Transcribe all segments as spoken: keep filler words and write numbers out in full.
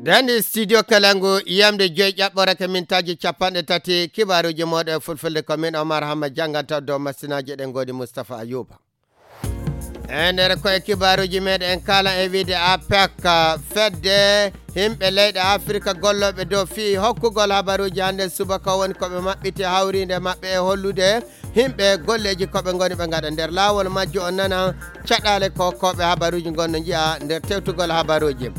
Ɗen studio Kalangu, yamde joy ƴaɓɓore ka mintaaji capanɗe tati, kibaaruuji mooɗon e fulfulde ko min Omar Hamma jannganta dow masinaaji ɗen ngoni Mustapha Ayuba. E nder koye kibaaruuji meɗen en kaala e wiide APEC, fedde yimɓe leyɗe Afirka gollooɓe dow fii hokkugol habaruuji hannde subaka woni ko ɓe maɓɓiti hawriinde maɓɓe e hollude yimɓe golleeji ko ɓe ngoni ɓe ngaɗa. Nder laawol majjo on nana caɗaale ko hokkooɓe habaruuji ngon no njiya nder tewtugol habaruuji.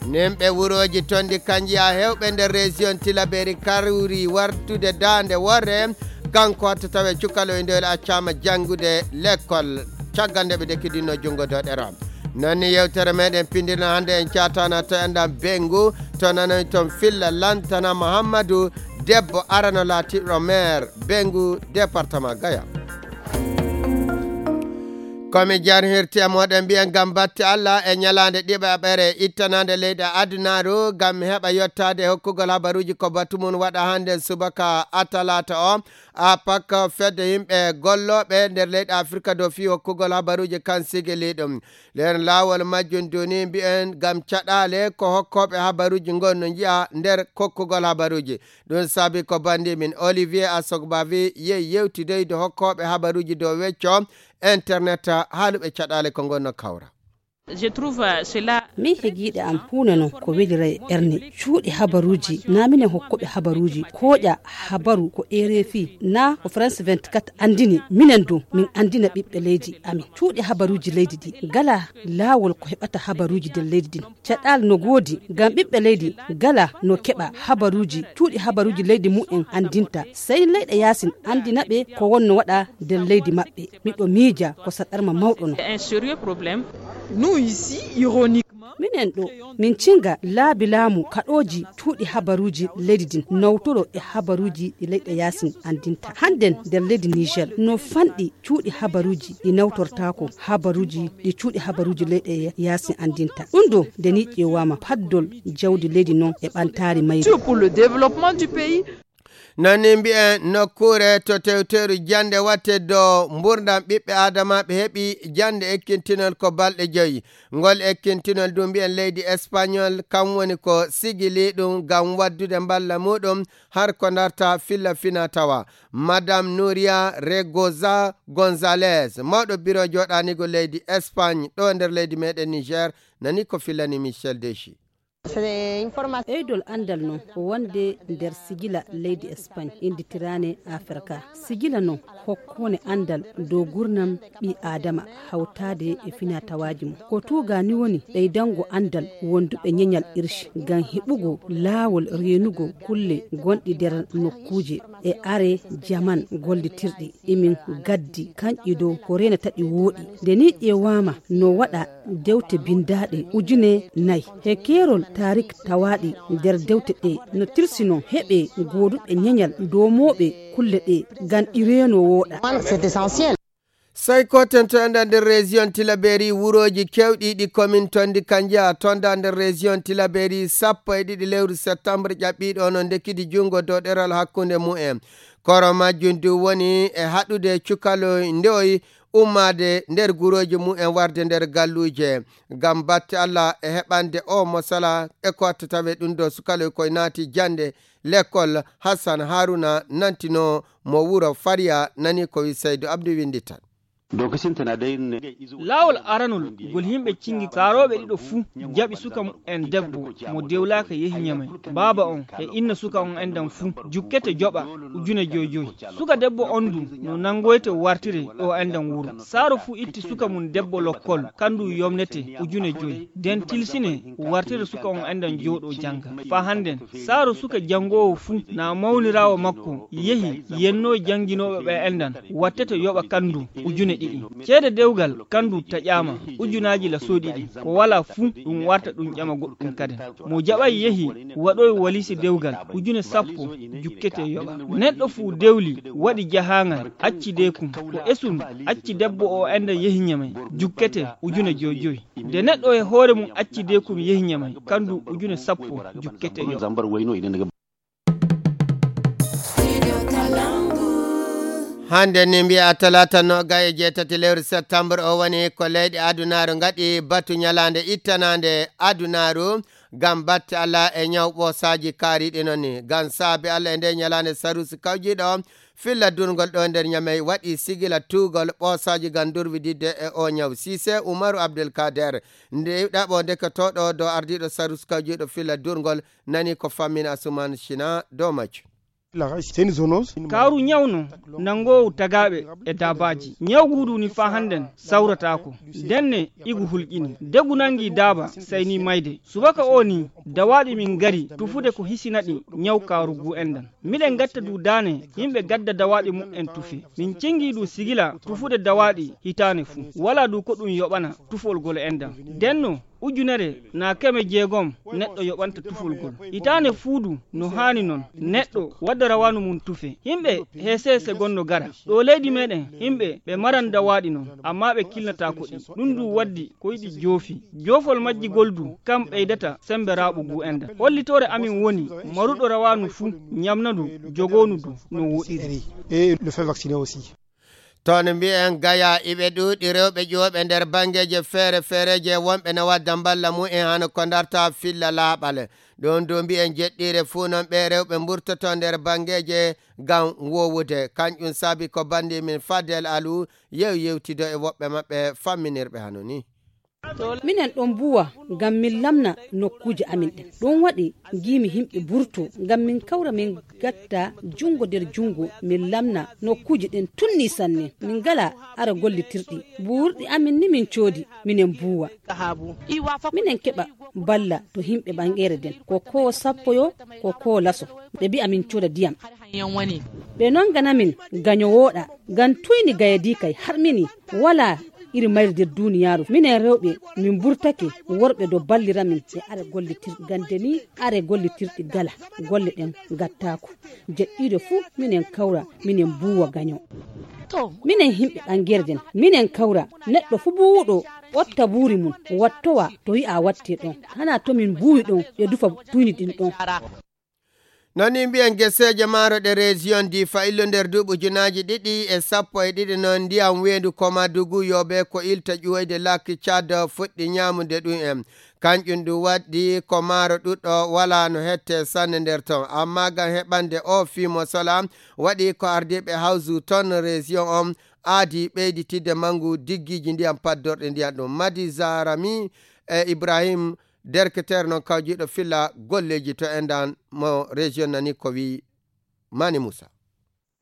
Yimɓe wurooji tonndi kanjiya hewɓe nder région Tilaberi kawri wartude daande worre. Kanko hatta tawe cukaloy ndoyle accama janngude lekkol. Caggal nde ɓe dekkidinno junngo doɗero. Non ni yewtere meɗen pindirna hannde en caatana to enɗan Bengu, to nanoy ton filla lantana Muhammadu, debbo arano laatiɗo maire Bengu, département Gaya. Komi jarhirti e moɗon mbiyen ngam batte Allah e ñalaande ɗiɗaɓere ittanande leyɗe adunaaru ngam heɓa yottaade hokkugol habaruuji ko batu mum waɗa hannde subaka a talaata o. APEC fedde yimɓe gollooɓe nder leyɗe Afirka dow fii hokkugol habaruuji kan sigili ɗum. Nder laawol majjum duni mbiyen ngam caɗaale ko hokkooɓe habaruuji ngon no njiya nder kokkugol habaruuji. Ɗum saabi ko banndi min Olivier Asogbavi yehi yewtidoyde hokkooɓe habaruuji dow wecco internet haaluɓe caɗaale ko ngon no kawra. Je trouve cela. Min hegiiɗe am huunde non ko welira e ɓernde. Cuuɗi habaruuji, na minen hokkuɓe habaruuji, kooƴa habaru ko R F I, na ko France vingt-quatre anndini, minen du, min anndina ɓiɓɓe leydi amin. Cuuɗi habaruuji leydi ɗi, ngala laawol ko heɓata habaruuji nder leydi ɗin. Caɗaal no goodi, ngam ɓiɓɓe leydi ngala no keɓa habaruuji, cuuɗi habaruuji leydi mumen anndinta. Sey leyɗe yaasin anndina ɓe ko wonno waɗa nder leydi maɓɓe. Miɗo miija ko saɗarma mawɗo non. C'est un sérieux problème. Nous ici, ironiquement, minen ɗo, min cinga laabi laamu kaɗooji cuuɗi habaruuji leydi din, nawtoro e habaruuji ɗi leyɗe yaasin anndinta. Hannden nder leydi Niger, no fanɗi cuuɗi habaruuji ɗi nawtortaako habaruuji ɗi cuuɗi habaruuji leyɗe yaasin anndinta. Ɗum ɗo, nde ni ƴeewaama paddol jawdi leydi non e ɓantaari mayri. Surtout pour le développement du pays. Nani mbi'en nokkuure to tewteeru jannde watte dow mbuurndam ɓiɓɓe Aadama ɓe heɓi jannde ekkintinol ko balɗe joyi. Ngol ekkintinol du mbi'en leydi Espagnol kam woni ko sigili ɗum ngam waddude mballa muɗum har ko darta filla fina tawa. Madame Nuria Regoza Gonzalez, mawɗo biro jooɗaaniigo leydi Espagne ɗo nder leydi meɗen Niger, nani ko fillani Michel Dechi. Ɓeydol anndal non ko wonde nder sigila leydi Espagne, innditiraane Afrika. Sigila non hokkoone anndal dow gurnam ɓii Aadama hawtaade e finatawaaji mum. Ko tuugaa ni woni ɓeydango anndal wonduɓe ñeñal irshi ngam heɓugo laawol reenugo kulle gonɗi nder nokkuuje e are jaman gollitirɗi. Emin gaddi kanƴi dow ko reenata ɗi wooɗi. Nde ni ƴeewaama no waɗa dewte binndaaɗe ujune nayi. He keerol taarik tawaaɗi nder dewte ɗe no tirsi non heɓe gooduɓe ñeñal doomooɓe kulle ɗe ngam ɗi reeno wooɗa. C'est essentiel. Sey ko ten to enɗan nder région Tilaberi wurooji kewɗi ɗi commune tonndi kanjiya tonda nder région Tilaberi sappo e ɗiɗi lewru septembre ƴaɓɓiiɗo no ndekkidi junngo dow ɗeral hakkunde mumen. Koro majjum du woni e haɗude cukaloy ndoy ummaade nder gurooji mumen warde nder galluuje. Ngam batte Allah e heɓande o mosala e ko watta tawe ɗum ɗo sukaloy koye naati jannde lekkol. Hassan Haruna nantino mo wuro Fariya nani ko wi Saydu Abdu winndi tan. Laawol aranol ngol yimɓe cingi saarooɓe ɗiɗo fuu jaɓi suka mumen debbo mo dewlaaka yehi Ñamay. Baaba on e inna suka on enɗan fuu jukkete joɓa ujune joy joy. Suka debbo on du no nangoyte wartire o enɗan wuro. Saaro fuu itti suka mum debbo lokkol, kandu yomnete ujune joy. Den tilsine wartire suka on enɗan jooɗo janga. Faa hannden, saaro suka jangoowo fuu na mawniraawo makko yehi yennoo janginooɓe ɓe enɗan, wattete yoɓa kandu ujune ɗiɗi. Ceede dewgal kandu taƴaama ujunaaji lasoo ɗiɗi. Ko walaa fuu ɗum warta ɗum ƴama goɗɗum kaden. Mo jaɓay yehi waɗoy walisi dewgal ujune sappo, jukkete yoɓa. Neɗɗo fuu dewli waɗi jahaangal, acci deekum, ko esum acci debbo o enɗan yehi Ñamay, jukkete ujune joy joy. Nde neɗɗo e hoore mum acci deekum yehi Ñamay, kandu ujune sappo, jukkete yoɓa. Hannde ni mbiya talaata noogay e jeetati lewru septembre o woni ko leyɗe adunaaru ngaɗi batu ñalaande ittanaande adunaaru. Ngam batte Allah e ñaw ɓoosaaji kaariiɗi noon ni. Ngam saabe Allah e nde ñalaande Sarusi kawjiiɗo filla durngol ɗo nder Ñamey waɗi sigila tuugol ɓoosaaji ngam durwididde e o ñaw. Siise Umaru Abdulkader, nde ɗaɓo ndeketooɗo dow ardiiɗo Sarusi kawjiiɗo filla durngol, nani ko fammina Asuman Sina dow majjum. Kaaru ñawno nanngoowu tagaaɓe e daabaaji. Ñaw guudu ni faa hannden sawrataako. Denne igu hulƴini. Degu nanngi daaba sayni mayde. Subaka o ni dawaaɗi min ngari tufude ko hisina ɗi ñaw kaaru guu enɗan. Miɗen ngatta du daane yimɓe gadda dawaaɗi muɓɓen tufe. Min cengi du sigila tufude dawaaɗi hitaane fuu. Walaa du ko ɗum yoɓana tufol gol enɗan. Denno ujunere naa keme jeegom neɗɗo yoɓanta tufol gol. Hitaane fuu du no haani non neɗɗo wadda rawaanu mum tufe. Yimɓe heese heese gonno gara. Ɗo leydi meɗen yimɓe ɓe maran dawaaɗi non, amma ɓe kilnataako ɗi. Ɗum du waddi ko yiɗi joofi. Joofol majji gol du kam ɓeydata sembe raaɓo guu enɗan. Hollitoore amin woni maruɗo rawaanu fuu ñamna ndu, jogoonu du no woɗiri. Et le fait vacciner aussi. Toon mbiyen gaya iɓe ɗuuɗi rewɓe ƴuwoɓe nder banngeeje feere feereeje wonɓe na wadda mballa mumen hano ko darta filla laaɓal. Ɗum du mbiyen jeɗɗiire fuu noon ɓe rewɓe mburtoto nder banngeeje ngam wowude. Kanƴum saabi ko banndi min Fadel Alu yew yewtido e woɓɓe maɓɓe famminirɓe hano ni. Minen ɗon mbuwa ngam min lamna nokkuuje amin ɗen. Ɗum waɗi ngiimi yimɓe mburto ngam min kawra min gatta junngo nder junngo min lamna nokkuuje ɗen tunni sanne. Min ngala ara gollitirɗi. Buurɗi amin ni min coodi minen mbuwa. Minen keɓa balla to yimɓe ɓangeere nden. Ko koo sappo yo, ko koo laso. Ɓe mbi'a min cooda ndiyam. Ɓe nongana min gaño wooɗa ngam tuyni gayadii kay harmini. Walaa iri mayri nder duuniyaaru. Minen rewɓe min mburtake worɓe do ballira min ɓe are gollitirɗi gande ni are gollitirɗi gala. Golle ɗen gattaako. Jeɗɗiiɗo fuu minen kawra minen mbuuwa gaño. Minen yimɓe ɓangeere nden minen kawra neɗɗo fuu buuwuɗo ɓotta buuri mum wattowa to yi'a watte ɗon. Hana to min mbuuwi ɗon ɓe dufa tuyni ɗin ɗon. Noon ni mbiyen geseeje maaro ɗe région Difa illo nder duuɓi ujunaaji ɗiɗi e sappo e ɗiɗi noon ndiyam weendu Komadugu yoobe ko ilta ƴuwoyde lakki Tchad fuɗɗi ñaamude ɗum en. Kanƴum ɗum waɗi ko maaro ɗuɗɗo walaa no hette sanne nder ton. Amma ngam heɓande o fii mo sola waɗi ko ardiiɓe hawsu ton région on aadi ɓeyditidde manngu diggiiji ndiyam paddorɗe ndiyam ɗum. Madi Zarami e Ibrahim Derketeer noon kawjiiɗo filla golleeji to enɗan mo région nani ko wii Mani Muusa.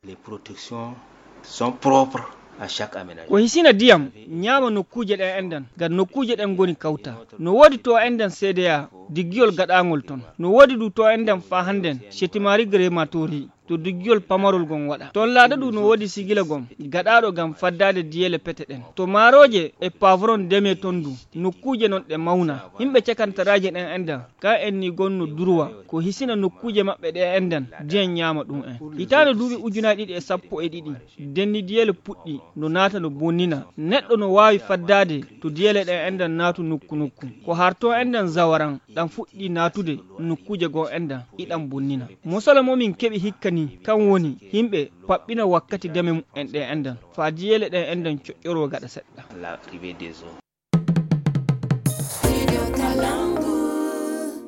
Les protections sont propres à chaque aménagement. Ko hisina ndiyam ñaama nokkuuje ɗen enɗan ngam nokkuuje ɗen ngoni kawta. No woodi to enɗan C D A diggiyol gaɗaangol ton. No woodi du to enɗan faa hannden Chetimari Grématori to diggiyol pamarol gon waɗa. Ton laada du no woodi sigila gon gaɗaaɗo ngam faddaade diyeele pete ɗen. To maarooje e pavron deme ton du nokkuuje non ɗe mawna. Yimɓe cakantaraaje ɗen enɗan ka en ni gonno durwa ko hisina nokkuuje maɓɓe ɗe enɗan ndiyan ñaama ɗum en. Hitaande duuɓi ujunaaji ɗiɗi e sappo e ɗiɗi denni diyeele puɗɗi no naata no bonnina. Neɗɗo no waawi faddaade to diyeele ɗen enɗan naatu nokku nokku. Ko harto enɗan zawaran ɗan fuɗɗi naatude nokkuuje goo enɗan iɗan bonnina. Mosala mo min keɓi hikka ni kan woni yimɓe paɓɓina wakkati deme mu'en ɗe enɗan faa diyeele ɗen enɗan coƴƴoroo gaɗa seɗɗa.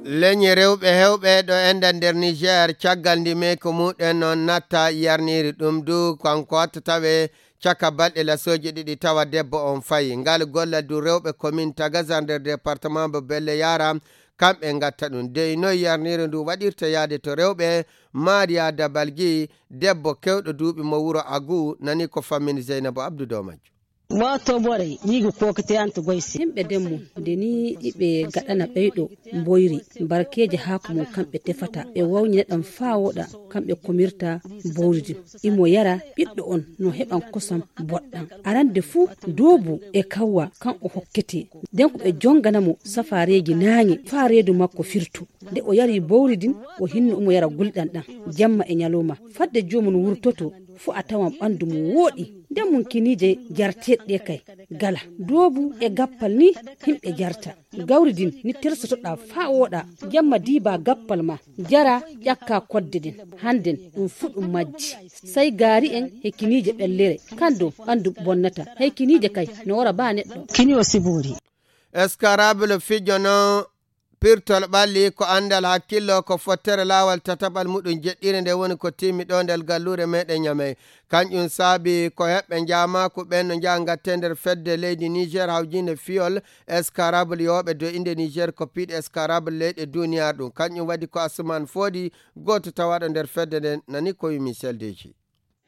Leñi rewɓe hewɓe ɗo enɗan nder Niger caggal ndi meyko muɗen noon natta yarniri ɗum du kanko watta tawe caka balɗe lasooji ɗiɗi tawa debbo on fayi. Ngal gollal du rewɓe komin Tagazar nder département mo Belle Yara kamɓe ngatta ɗum. Dey noy yarniri ndu waɗirta yaade to rewɓe Maria Dabalgi debbo kewɗo duuɓi mo wuro Agu nani ko fammin Zeynabo Abdu dow majjum. Moto bore yigu kokete anto goyse. Himɓe demmu nde ni iɓe gaɗana ɓeyɗo mboyri barkeeje haako mum kamɓe tefata ɓe wawñina ɗam faa woɗa kamɓe komirta bowri din. Imo yara ɓiɗɗo on no heɓan kosam boɗɗam arande fuu doobu e kawwa kan o hokkete. Nden ko ɓe jongana mo safaareeji naaŋe faa reedu makko firtu. Nde o yari bowri din o hinno omo yara gulɗam ɗam jamma e ñalawma fadde joomum wurtoto. Fuu a tawan ɓanndu mum wooɗi nden mum kiniije jarteeɗe ɗe kay gala. Doobu e gappal ni himɓe jarta. Gawri din ni tersotoɗaa faa wooɗa jamma diibaa gappal ma jaraa ƴakkaa kodde ɗen. Hannden ɗum fuu ɗum majji. Sey gaari en he kiniije ɓellere kan dow ɓanndu bonnata. Hey kiniije kay no wara baa neɗɗo. Kini o sibuuri. Eskarabule fijo noon Pirtol ɓalli ko anndal hakkillo, ko fottere laawol tataɓal muɗum jeɗɗire nde woni ko timmi ɗo nder galluure meɗen Ñamey. Kanƴum saabi ko heɓɓe njaamaaku ɓen no njaha ngatte nder fedde leydi Niger hawjinde fiyol escarable yooɓe dow innde Niger ko piiɗe escarable leyɗe duniyaaru ɗum. Kanƴum waɗi ko Asuman Foodi, gooto tawaaɗo nder fedde nden, nani ko wi Michel Deji.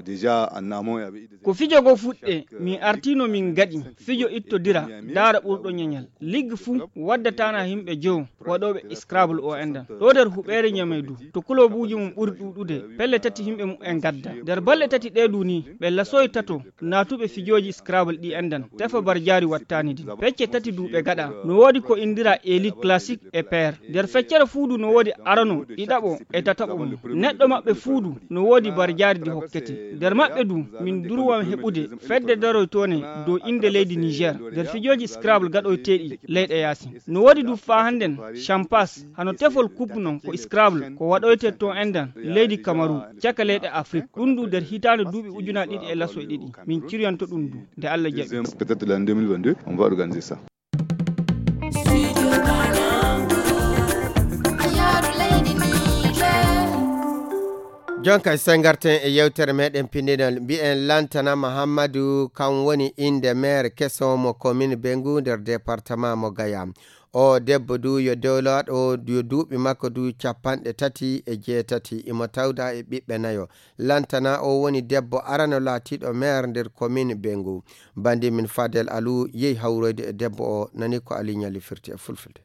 Déjà, en amont, il y avait eu des... Ko fijo go fuɗɗe, min artino min gaɗi fijo ittodira, daara ɓurɗo ñañal. Ligue fuu waddataana himɓe jowo waɗooɓe Scrabble o endan. Ɗo nder huɓeere Ñamey du, to kulobuuji mum ɓuri ɗuuɗude, pelle tati himɓe mum en gadda. Nder balɗe tati ɗe du ni, ɓe lasoy tato naatuɓe fijooji Scrabble ɗi endan. Tefa barjaari wattaani din. Pecce tati du ɓe gaɗa. No woodi ko indira Elite Classic e Pair. Nder feccere fuu du no woodi arano, ɗiɗaɓo e tataɓo mum. Neɗɗo maɓɓe fuu du no woodi barjaari di hokkete. Nder maɓɓe du, min durwam heɓude fedde daroytoone dow innde leydi Niger nder fijooji Scrabble gaɗoyteeɗi leyɗe yaasin. No woodi du faa hannden Champas, hano tefol coupe non ko Scrabble, ko waɗoyte to endan leydi Kamaru, caka leyɗe Afrik. Ɗum du nder hitaande duuɓi ujunaaji ɗiɗi e lasoy ɗiɗi. Min ciryanto ɗum du, nde Allah jaɓi. Peut-être l'année deux mille vingt-deux, on va organiser ça. Jonka, so ngarten e yewtere meɗen pinndinol, mbiyen Lantana Mahammadu, kam woni innde maire keso mo commune Bengu nder département mo Gaya. O debbo du yo dowlaaɗo, yo duuɓi makko du capanɗe tati e jeetati, imo tawda e ɓiɓɓe nayo. Lantana o woni debbo arano laatiiɗo maire nder commune Bengu. Bandi min Fadel Alu yehi hawroyde e debbo o, nani ko Ali Ñali firti e fulfulde.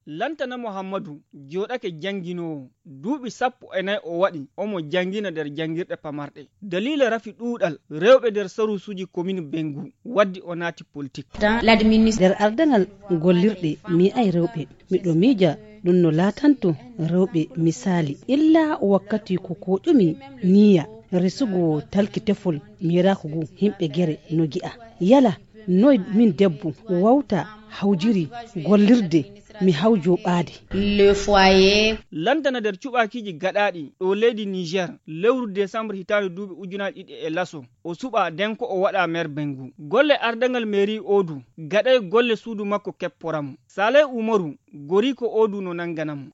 Lantana Muhammadu jooɗake jannginoowo. Duuɓi sappo e nayi o waɗi, omo janngina nder janngirɗe pamarɗe. Daliila rafi ɗuuɗal rewɓe nder saruusuuji commune Bengu, waddi o naati politik. Dans l'administration. Nder ardaŋal gollirɗe, mi yi'ay rewɓe. Miɗo miija ɗum no laatanto rewɓe misaali. Illa wakkati ko koƴumi niya resugo talki tefol miiraaku ngu, himɓe gere no gi'a. Yala noy min debbo wawta hawjiri gollirde mi hawjo ɓaade? Le foyer. Lantana nder cuɓaakiiji gaɗaaɗi ɗo leydi Niger, lewru décembre hitaande duuɓi ujunaaji ɗiɗi e laso, o suɓa den ko o waɗa maire Bengu. Golle ardaŋal mairie o du, gaɗay golle suudu makko kepporam. Saleh Umaru, goriiko o du no nangana mo.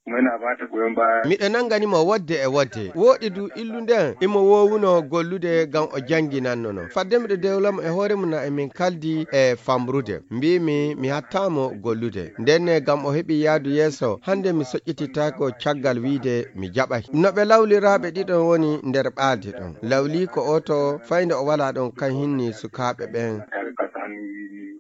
Miɗo nangani mo wodde e wodde. Wooɗi du illu nden, imo woowuno gollude ngam o jannginanno no. Fadde miɗo dewla mo e hoore mum na e min kaldi e famrude. Mbiimi mi hattaamo gollude. Nden ne ngam o heɓi yaadu yeeso, hannde mi soƴƴititaako caggal wiide mi jaɓay. No ɓe lawliraaɓe ɗiɗon woni nder ɓaalde ɗon. Lawliiko o to fayde o walaa ɗon kan hinni sukaaɓe ɓen.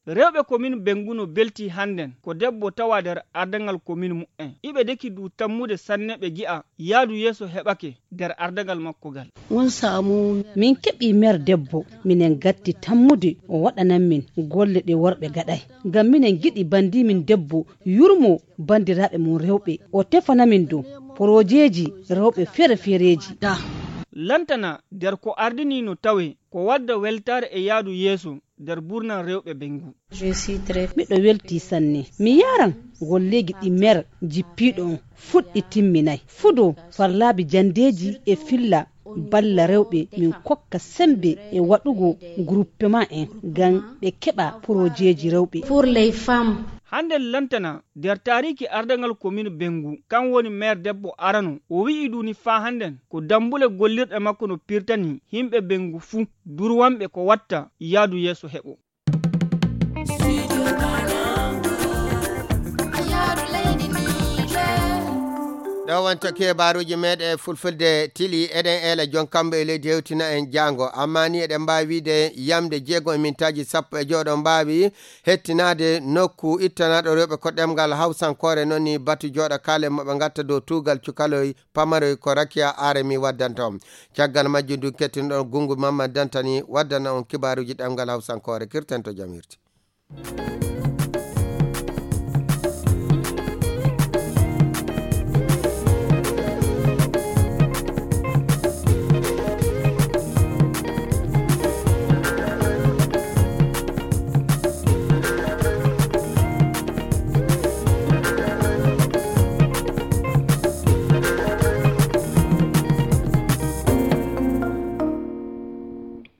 Rewɓe commune Bengu no belti hannden ko debbo tawa nder ardaŋal commune mu'en. Iɓe deki du tammude sanne ɓe gi'a yaadu yeeso heɓake nder ardaŋal makko ngal. Mun samu. Min keɓi maire debbo, minen gatti tammude o waɗanan min golle ɗe worɓe gaɗay. Ngam minen giɗi bandimin debbo yurmo bandiraaɓe mum rewɓe. O tefana min du porojeeji rewɓe feere-feereeji. Lantana nder ko ardini no tawe ko wadda weltaare e yaadu yeeso nder burnal rewɓe Bengu. Je suis très. Miɗo welti sanne. Mi yaran golleeji ɗi maire jippiiɗo on fuɗɗi timminay. Fudo farlaabi jandeeji e filla balla rewɓe min kokka sembe e waɗugo groupement en ngam ɓe keɓa porojeeji rewɓe. Pour les femmes. Hannden Lantana nder taariiki ardaŋal commune Bengu, kan woni maire debbo arano. O wi'i duni faa hannden ko dambule gollirɗe makko no pirtani himɓe Bengu fuu, durwanɓe ko watta yaadu yeeso heɓo. Ɗo wonto kebaruuji meɗen e fulfulde tili, eɗen eela jon kambo e leydi hewtina en jaango. Amma ni eɗen mbaawi wiide yamde jeego e mintaaji sappo e jowo ɗo mbaawi hettinaade nokku ittanaɗo rewɓe ko ɗemngal hawsankoore, noon ni batu jooɗo kaalen mo ɓe ngatta dow tuugal cukaloy pamaroy ko Rakiya Aremi waddanta on. Caggal majjum du kettinɗon Gungu Mamman Dantani waddana on kibaaruuji ɗemngal hawsankoore. Kirten to jam hirti.